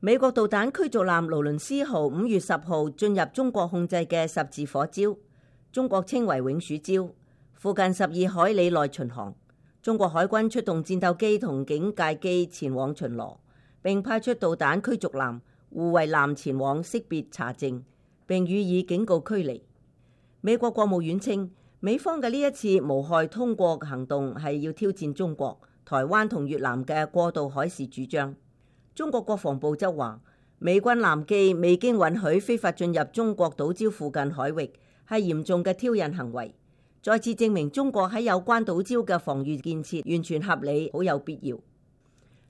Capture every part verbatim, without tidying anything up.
美國導彈驅逐艦勞倫斯號五月十號進入中國控制嘅十字火礁，中國稱為永暑礁，附近十二海里內巡航。中國海軍出動戰鬥機同警戒機前往巡邏，並派出導彈驅逐艦、護衛艦前往識別查證，並予以警告驅離。美國國務院稱，美方嘅呢一次無害通過行動係要挑戰中國、台灣同越南嘅過渡海事主張。中國國防部則話，美軍艦機未經允許非法進入中國島礁附近海域，係嚴重嘅挑釁行為，再次證明中國喺有關島礁嘅防禦建設完全合理，好有必要。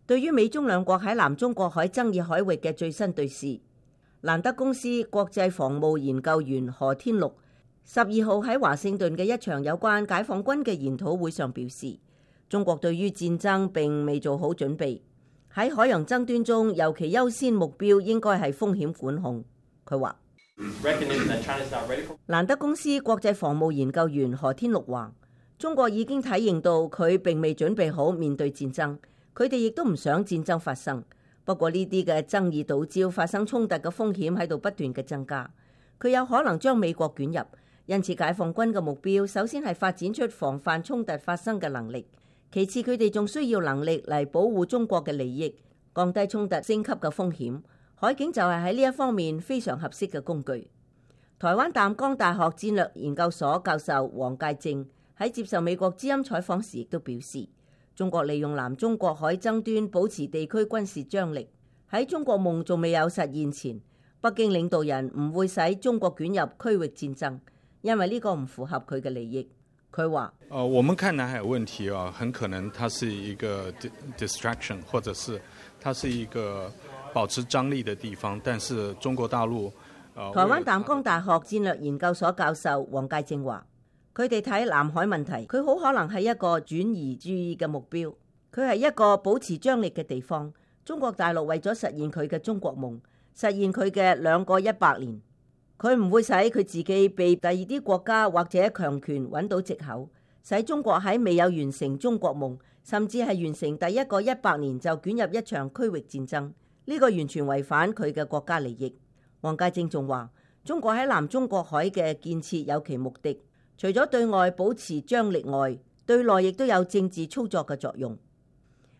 對於美中兩國喺南中國海爭議海域嘅最新對峙，蘭德公司國際防務研究員何天祿十二號喺華盛頓嘅一場有關解放軍嘅研討會上表示，中國對於戰爭並未做好準備。喺海洋爭端中，尤其優先目標應該係風險管控。佢話，蘭德公司國際防務研究員何天祿話，中國已經體認到佢並未準備好面對戰爭，佢哋亦都唔想戰爭發生。不過呢啲嘅爭議島礁發生衝突嘅風險喺度不斷嘅增加，佢有可能將美國捲入。因此，解放軍嘅目標首先係發展出防範衝突發生嘅能力。其次，佢哋仲需要能力嚟保護中國嘅利益，降低衝突升級嘅風險。海警就係喺呢一方面非常合適嘅工具。台灣淡江大學戰略研究所教授黃介正喺接受美國之音採訪時亦都表示，中國利用南中國海爭端保持地區軍事張力。喺中國夢仲未有實現前，北京領導人唔會使中國捲入區域戰爭，因為呢個唔符合佢嘅利益。佢話：呃，我們看南海問題啊，很可能它是一個 distraction， 或者是它是一個保持張力的地方。但是中國大陸，呃，台灣淡江大學戰略研究所教授黃介正話：佢哋睇南海問題，佢好可能係一個轉移注意嘅目標。佢係一個保持張力嘅地方。中國大陸為咗實現佢嘅中國夢，實現佢嘅兩個一百年。佢唔會使佢自己被第二啲國家或者強權揾到藉口，使中國喺未有完成中國夢，甚至係完成第一個一百年就捲入一場區域戰爭。呢個完全違反佢嘅國家利益。黃介正仲話，中國喺南中國海嘅建設有其目的，除咗對外保持張力外，對內亦都有政治操作嘅作用。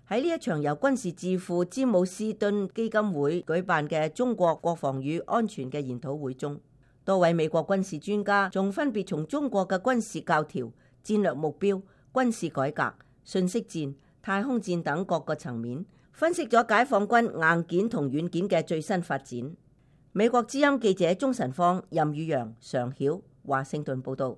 喺呢一場由軍事智庫詹姆斯敦基金會舉辦嘅中國國防與安全嘅研討會中，多位美國軍事專家仲分別從中國嘅軍事教條、戰略目標、軍事改革、信息戰、太空戰等各個層面，分析咗解放軍硬件同軟件嘅最新發展。美國之音記者鍾晨芳、任宇陽、常曉、華盛頓報道。